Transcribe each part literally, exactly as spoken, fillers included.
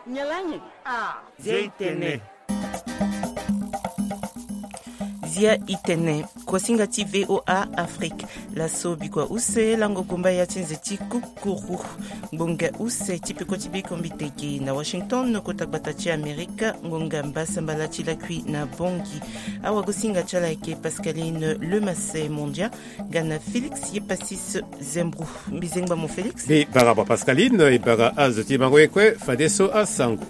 Nyalanyi. Ah. Zia itene. Zia itene. Kuasinga ti VOA Afrique. Laso bikua use lango gomba ya ti nze ti kukuru. Ngbonga use ti peko ti biko mbiteke na Washington, kota gbata ti Amerika, ngonga mbasambala ti lakui na Bongi. Awagosinga ti ala ayeke Pascaline Lemasse Mondia, nga na Félix Yepasis Zembro. Mbizengba mo Félix. Mbi bara bua Pascaline, e bara azo ti mango ye kue fadeso asango.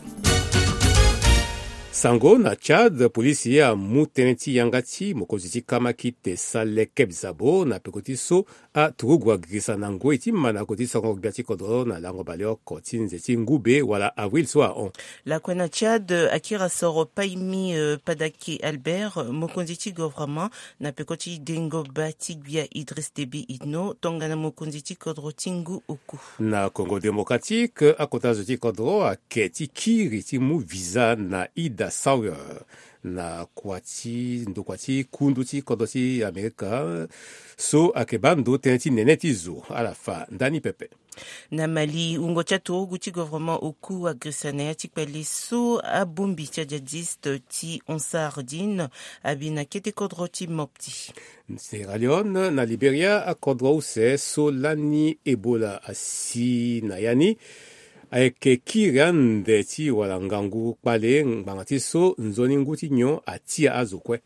Sango na Tchad, polisi amu tënë ti yanga ti mokonzi ti kamakite Saleh Kebzabo na peko ti so aturugu agirisa na ngoi ti mandango ti sango gbia ti kodro na lango baleoko ti nze ti ngube wala avril so ahon. Lakue na Tchad, akiri asoro Paymi, euh, Padake Albert, mokonzi ti gouvernement, na peko ti dengo bâ ti gbia Idriss Déby Itno, tongana mokonzi ti kodro ti ngu oku. Na Congo Démocratique, akota zo ti kodro ake ti kiri ti mu visa na Ida Sawyer na kua ti ndokua ti kundu ti kodro ti Amerika so ake baa ndo tënë ti nene ti zo. Ala fa ndani pepe. Na Mali, wungo ti aturugu ti gouvernement oku agirisa na ya ti kpale so abongbi ti ajihadiste ti Ansar Dine abi na kete kodro ti Mopti. Sierra Leone, na Liberia, akodro use so lani Ebola asi na ya ni ayeke kiri ande ti wala ngangu kpale ngbanga ti so nzoni ngu ti nyon atia azo kue.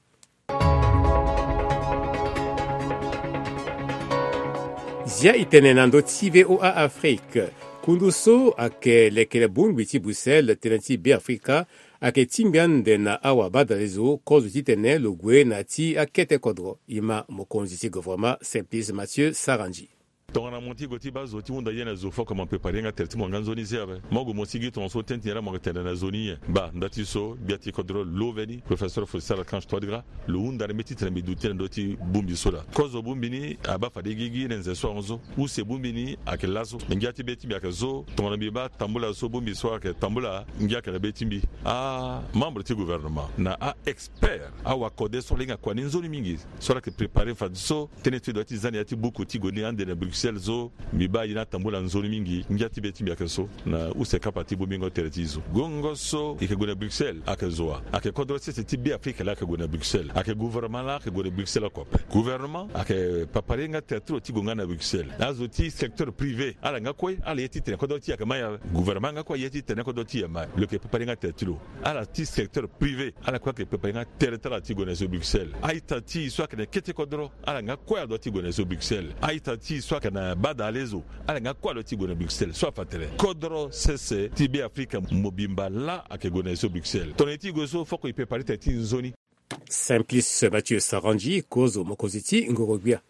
Zia itene na ndö ti VOA Afrique. Kundu so ayeke lekere bongbi ti Bruxelles tënë ti Beafrika ayeke tingbi ande na awabadalezo kozo titene lo gue na ti akete kodro. E ma mokonzi ti gouvernement Simplice Mathieu Sarandji. Tongana mo ti gue ti baa zo ti hunda ye na zo fo ake mo prépare nga tere ti mo nga nzoni se ape. Mo gue mo sigi tongaso tënë ti nyen laa mo yeke tene na zo ni nyen? Baa nda ti so gbia ti kodro lo veni, professeur Faustin Archange Touadéra, lo hunda na mbi titene mbi duti na ndö ti bongbi so laa. Kozo bongbi ni abaa fade gigi na nze so ahon so. Use bongbi ni ayeke laso. Me ngia ti be ti mbi ayeke so tongana mbi baa tambula so bongbi so ayeke tambula, ngia ayeke na be ti mbi. Amembre ti gouvernement na a-expert, awakode so ala hinga kua ni nzoni mingi, so ala yeke prépare fadeso tënë ti lo ya ti za na ya ti buku ti gue ni ande na Bruxelles so, mbi baa ye ni atambula nzoni mingi. Ngia ti be ti mbi ayeke so na use kapa ti bongbingo tere ti zo. Gongo so e yeke gue na Bruxelles ayeke zo wa? Ayeke kodro sese ti Beafrika laa ayeke gue na Bruxelles. Ayeke gouvernement laa ayeke gue na Bruxelles oko ape. Gouvernement ayeke prépare nga tere ti lo ti gue nga na Bruxelles. Azo ti secteur privé ala nga kue ala ye titene kodro ti e ayeke mai ape. Gouvernement nga kue aye titene kodro ti e aye mai. Lo yeke prépare nga tere ti lo. Ala ti secteur privé ala kue ayeke prépare nga tere ti ala ti gue na zo Bruxelles. A-ita ti e so ayeke na kete kodro ala nga kue adoit ti gue na zo Bruxelles. A-ita ti e so ayeke na bada alezo ala nga kue adoit ti gue na Bruxelles. So afa tene kodro sese ti Beafrika mobimba laa ayeke gue na zo Bruxelles. Tongana e ti gue so foko e prépare tere ti e nzoni. Simplice Mathieu Sarandji, kozo mokonzi ti ngoro-gbia.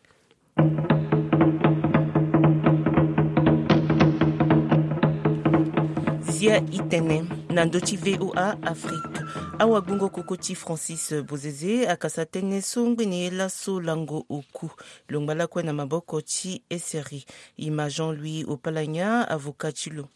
Zia itene na ndö ti VOA Afrique. Awagbungo koko ti Francis Bozeze akasa tënë so ngbene ye laso lango oku. Lo ngba lakue na maboko ti S R I. E ma Jean-Louis Opalanya, avocat ti lo.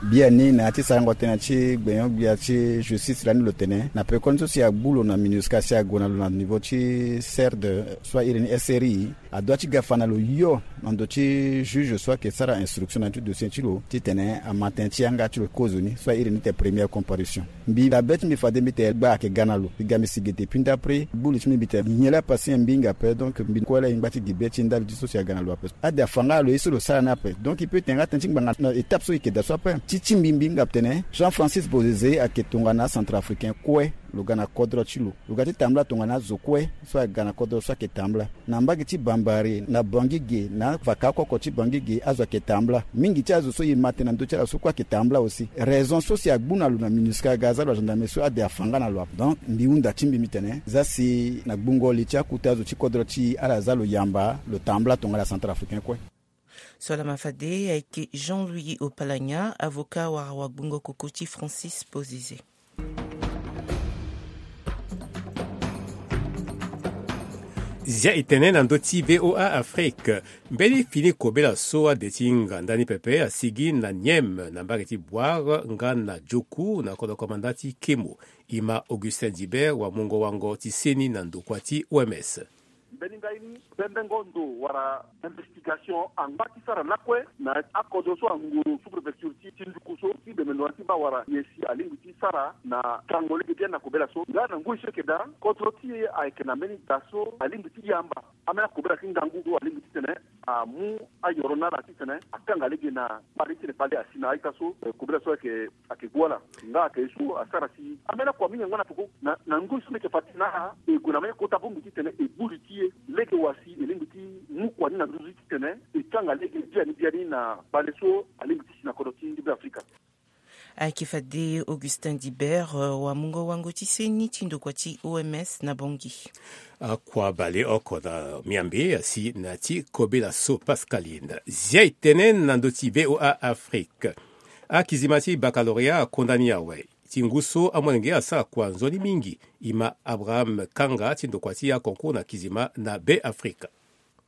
Biani na ya ti sarango tënë ti gbenyo-gbia ti justice lani lo tene na pekoni so si agbu lo na MINUSCA si ague na lo na niveau ti CERD so airi ni S R I, adoit ti ga fa na lo yo na ndo ti juge so ayeke sara instruction na ya ti dossier ti lo titene ama tënë ti yanga ti lo kozoni so airi ni tene première comparution. Mbi na be ti mbi fade mbi tene gbaa ayeke ga na lo. Mbi ga mbi si ge depuis ndapre gbu li ti mbi mbi tene nyen laa pasi nyen mbi hinga ape. Donc mbi kue laa e ngba ti gi be ti ndali ti so si aga na lo ape. Ade afa nga na lo ye so lo sara ni ape. Donc e peut tene nga tënë ti ngbanga na étape so e yeke daa so ape. Ti ti mbi mbi hinga tene Jean Francis Bozeze ayeke tongana acentrafricain kue. Lo ga na kodro ti lo. Lo ga ti tambula tongana azo kue so aga na kodro so ayeke tambula. Na mbage ti Bambari, na Bangui ge, na vaka oko ti Bangui ge, azo ayeke tambula. Mingi ti azo so e ma tene na ndö ti ala so kue ayeke tambula aussi. Raison so si agbu na lo na MINUSCA aga aza lo agendarmerie so ade afa nga na lo ape. Donc mbi hunda ti mbi mbi tene za si na gbungo li ti akota azo ti kodro ti e ala za lo yamba lo tambula tongana acentrafricain kue. So lama fade ayeke Jean-Louis Opalanya, avocat wala wagbungo koko ti Francis Bozeze. Zia e tene na ndö ti VOA Afrique. Mbeni fini kobela so ade ti hinga ndani pepe asigi na Niem na mbage ti Bouar nga na Djokou na kodro komanda ti Kemo. E ma Augustin Dibert wa mungo wango ti seni na ndokua ti O M S. Mbeni ngai ni, bembengo ndo wala investigation angba ti sara lakue na akodro so anguru sous-préfecture ti, ti nduku so ti deme lo na ti baa wala ye si alingbi ti sara na kango lege biani na kobela so. Nga na ngoi so eke daa, kodro ti e ayeke na mbeni da so alingbi ti yamba ambeni akobela ti ngangu so alingbi titene amu ayoro na ala titene akanga lege na kpale titene kpale asi na a-ita so. Eh, kobela so ayeke, ayeke gue ala. Nga ayeke ye so asara si ambeni akua mingi angba na peko na, na ngoi so mbi yeke fa ti na ala, e gue na mbeni kota bongbi titene e gbu li ti e lege wa si e lingbi ti mu kua ni na nduzu ti titene e kanga lege biani biani na kpale so alingbi ti si na kodro ti Beafrika. Ayeke fade Augustin Dibert, euh, wamungo wango ti seni ti ndokua ti O M S na Bangui. Akua baleoko na miambe asi na ya ti kobela so Pascaline. Zia e tene na ndö ti V O A Afrique. Akizima ti baccalauréat akonda ni awe. Ti ngu so amolenge asara kua nzoni mingi, e ma Abraham Kanga ti ndokua ti aconcours na kizima na Beafrika.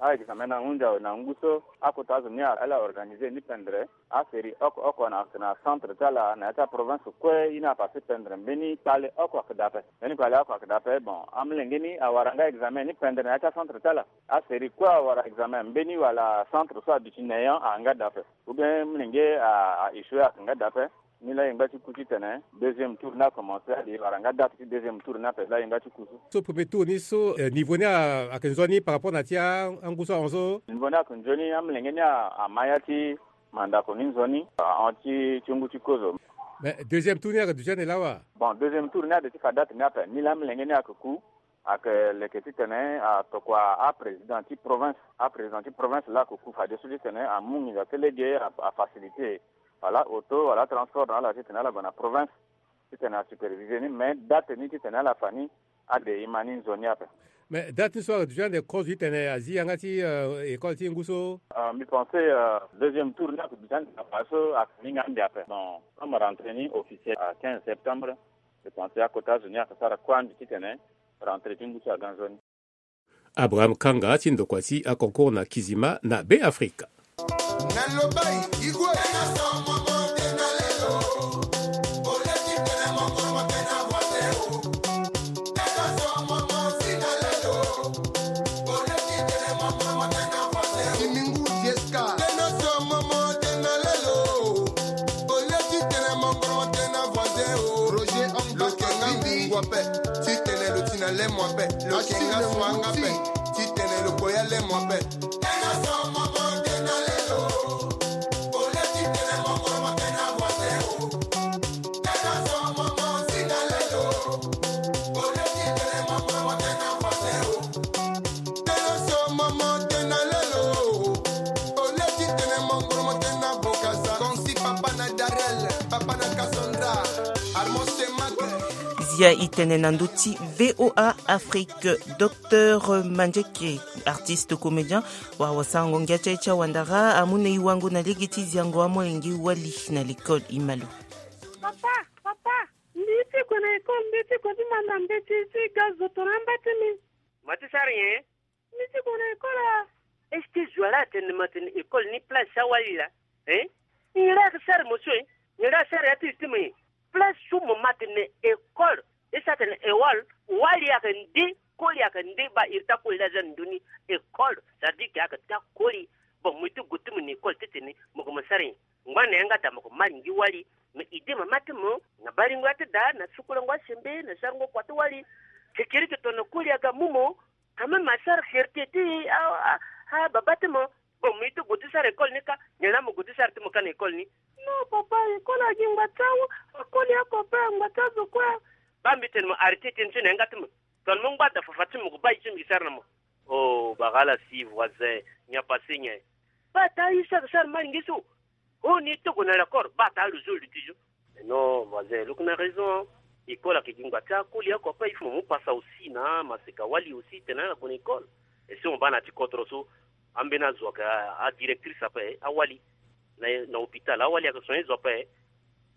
A-examen ni ahunzi awe na ngu so akota azo ni ala organiser ni pendere. Asérie oko oko na, na centre ti ala na ya ti aprovince kue, ye ni apase pendere. Mbeni kpale oko ayeke daa ape. Mbeni kpale oko ayeke daa ape. Bon, amolenge ni awara nga examen ni pendere na ya ti acentre ti ala. Asérie kue awara examen, mbeni wala centre so aduti néant ayeke nga daa ape. Ou bien molenge a, a échoué ayeke nga daa ape. Ni laa e ngba ti ku titene deuxième tour ni akomanse, ade e wara nga date ti deuxième tour ni ape laa e ngba ti ku so. So premier tour ni so, eh, niveau ni a, ayeke nzoni par rapport na ti a, angu so ahon so? Niveau ni ayeke nzoni, amolenge ni a, ama ya ti mandako ni nzoni, ahon ti, ti ngu ti kozo. Mais deuxième tour ni ayeke duti ande laa wa? Bon, deuxième tour ni ade ti fa date ni ape. Ni laa amolenge ni ayeke ku, ayeke leke titene atokua aprésident ti province, aprésident ti province laa ayeke ku fadeso titene amu nginza ti lege a, afacilité wala auto wala transport na ala titene ala gue na province titene asupervise ni. Mais date ni titene ala fa ni, ade e ma ni nzoni ape. Mais date ni so ayeke duti ande kozo titene azi yanga ti, euh, école ti ngu so? Euh, mbi pense, euh, deuxième tour ni ayeke duti ande na fa so ayeke mingi ande ape. Bon, comme rentrée ni officielle à quinze septembre, mbi pense akota zo ni ayeke sara kue ande titene rentrée ti ngu so aga nzoni. Abraham Kanga ti ndokua ti aconcours na kizima na Beafrika. Titene lo ti na lemo ape. Titene lo koya lemo ape. Zia e tene na ndö ti V O A Afrique, Docteur Mandieke, artiste comédien, wala wasango ngia ti aye ti awandara, amu na e wango na lege ti ziango amolenge wali na l'école. E ma lo. Papa, papa, mbi ye ti gue na école, mbi ye ti gue ti manda mbeti ti ga zo tongana amba ti mbi. Ma ti sara nyen? Mbi ti gue na école a. Est-ce que zo ala atene ma tene école ni place ti awali laa? Hein? Nyen la ayeke sara mo so, hein? Nyen la asara ya ti lo ti mo, hein? Place so mo ma tene école, e sara tene école, wali ayeke nde, koli ayeke nde, baa iri ti akoli laa aza na ndö ni. École, ça veut dire que ayeke taa koli. Bon, mo ye ti gue ti mo na école titene mo gue mo sara nyen? Ngba na yanga daa mo ke maringi wali. Mais idée mama ti mo na baringo ya ti daa, na sukulango asembe, na sarango kua ti wali. Kekereke tongana koli aga mu mo, quand même asara fierté ti a, a, a baba ti mo. Bon, mo ye ti gue ti sara école ni kâ, nyen la mo gue ti sara ti mo kâ na école ni? Non papa, école agi ngba ti awu, akoli oko ape, ngba ti azo kue. Baa mbi tene mo arrêté ti ni so na yanga ti mo. Tongana mo ngba daa fafa ti mo, mo gue baa ye so mbi sara na mo. Oh, bara ala si voisin, nyen apase nyen? Baa taa ye so ayeke sara malingi so. Oh, ni togo na l'accord, baa taa lo zo luti zo. Non, voisin, lo yeke na raison. École ayeke gi ngba ti akoli oko ape, il faut mo mu pasa aussi na maseka wali aussi tene ala gue na école. Et si mo baa na ya ti kodro so, ambeni azo ayeke a, adirectrice ape, awali. Na, na hôpital, awali ayeke soigner zo ape.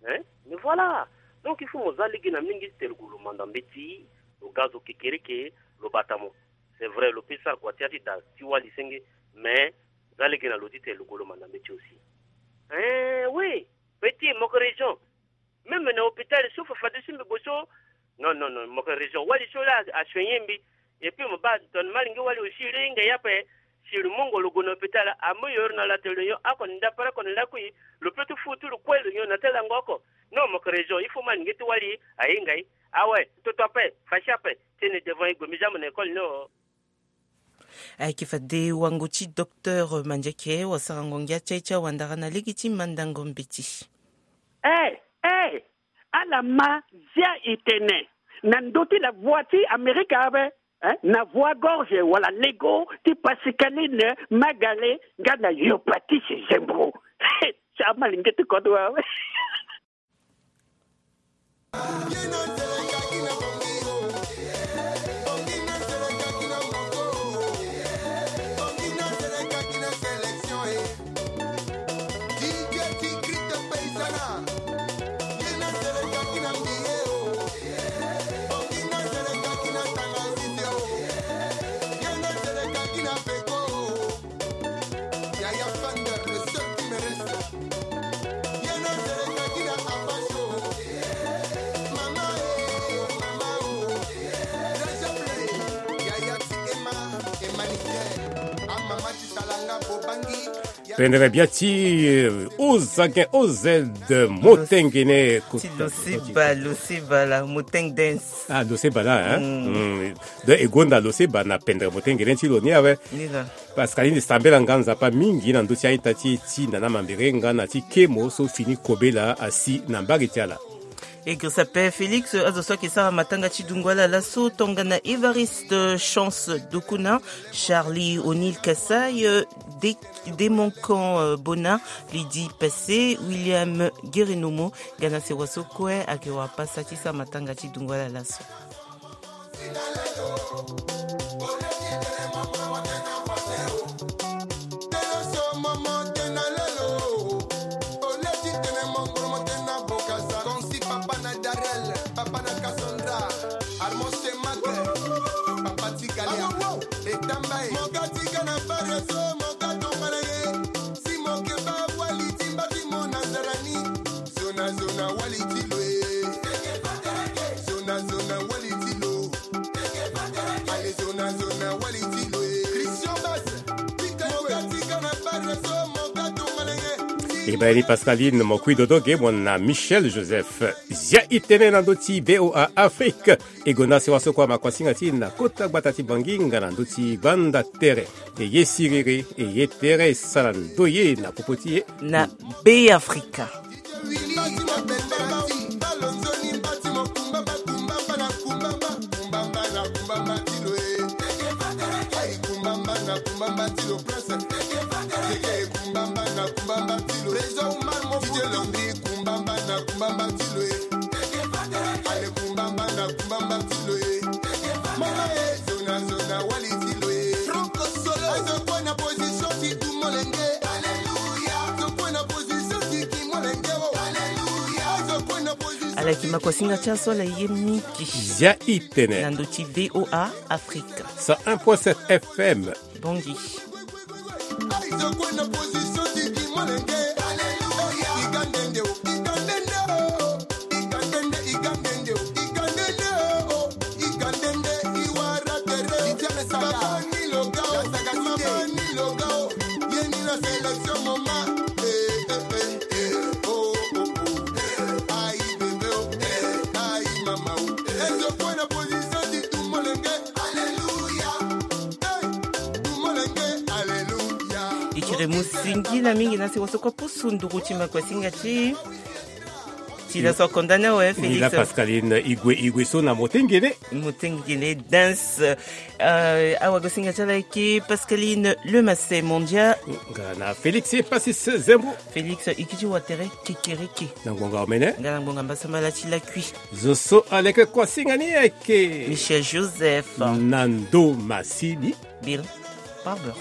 Hein? Mais voilà. Donc, il faut mo za lege na mingi ti tene lo gue lo manda mbeti, lo ga zo kekereke, lo bata mo. C'est vrai, lo peut sara kua ti ya ti daa ti wali senge, mais za lege na lo ti tene lo gue lo manda mbeti aussi. Hein, oui. Petit, mo yeke raison. Même na hôpital so fa fadeso mbi gue so. Non, non, non, mo yeke raison. Wali so la asoigner mbi. Et puis mo baa tongana malingi wali aussi lo hinga ye ape. Si lo mongo lo gue na hôpital, amu yoro na lo atene lo nyon oko na ndapara oko na lakui. Lo peut ti fu ti lo kue lo nyon na ti lango oko. Non, mo yeke région, il faut mo alingi ti wali ahinga e. Awe, toto ape, fashi ape, ti tene devant e gue mbi za mo na école ni o. Ayeke fade wango ti docteur Mandieke, wasarango ngia ti aye ti awandara na lege ti mandango mbeti. Eh, eh, ala ma zia e tene na ndö ti la voix ti Amerika ape, eh, na voix gorge wala lego ti Pascaline Magale nga na Yopatise Zembro. Ti ama linge ti kodro awe. Pendere bia ti, eh, Ozagen O Z, Motengene. Ti Loseba, Loseba la, Moteng Dance. Ah, Loseba la, hein? Mm. Donc e gonda Loseba na pendere Motengene ti lo ni awe. Ni la. Pascaline, sambela nga Nzapa mingi na ndö ti a-ita ti e ti nana mambere nga na ti kemo so fini kobela asi na mbage ti ala. E girisa ape Félix, azo so ayeke sara matanga ti dungo ala laso, tongana Évariste Chance Dokuna, Charlie O'Neil Kassai, De-, Demoncan, euh, Bona, Lydie Passé, William Guerenomo, nga na sewa so kue ayeke wara pasa ti sara matanga ti dungo ala laso. E baa ni Pascaline, mo kui dodo ge mo na Michel Joseph. Zia e tene na ndö ti V O A Afrique. E gonda sewa so kue amakuasinga ti e na kota gbata ti Bangui nga na ndö ti gbanda tere. E ye siriri, e ye tere, e sara ndoye na popo ti e. Na Be Afrika. Ala yeke makuasinga ti aso ala ye mingi. Zia e tene. Na ndö ti V O A Afrique. Cent un point sept F M. Bangui. Ikiri mu singila mingi na si waso kua pusu nduru ti makuasinga ti ti la so akonda ni awe, Félix. Pascaline, e gue, e gue so na motengene. Motengene dance. Euh, awagosinga ti ala ayeke Pascaline Lemasset Mondia. Nga na Félix Epasis Zembo. Félix, e kiti wa tere kekereke. Na ngbonga omene. Nga na ngbonga mbasambala ti lakui. Zo so aleke kuasinga ni ayeke Michel Joseph. Na ndo masini. Bill Barber.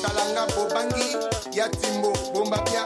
Salanga bobangi, ya timbo bomba bia.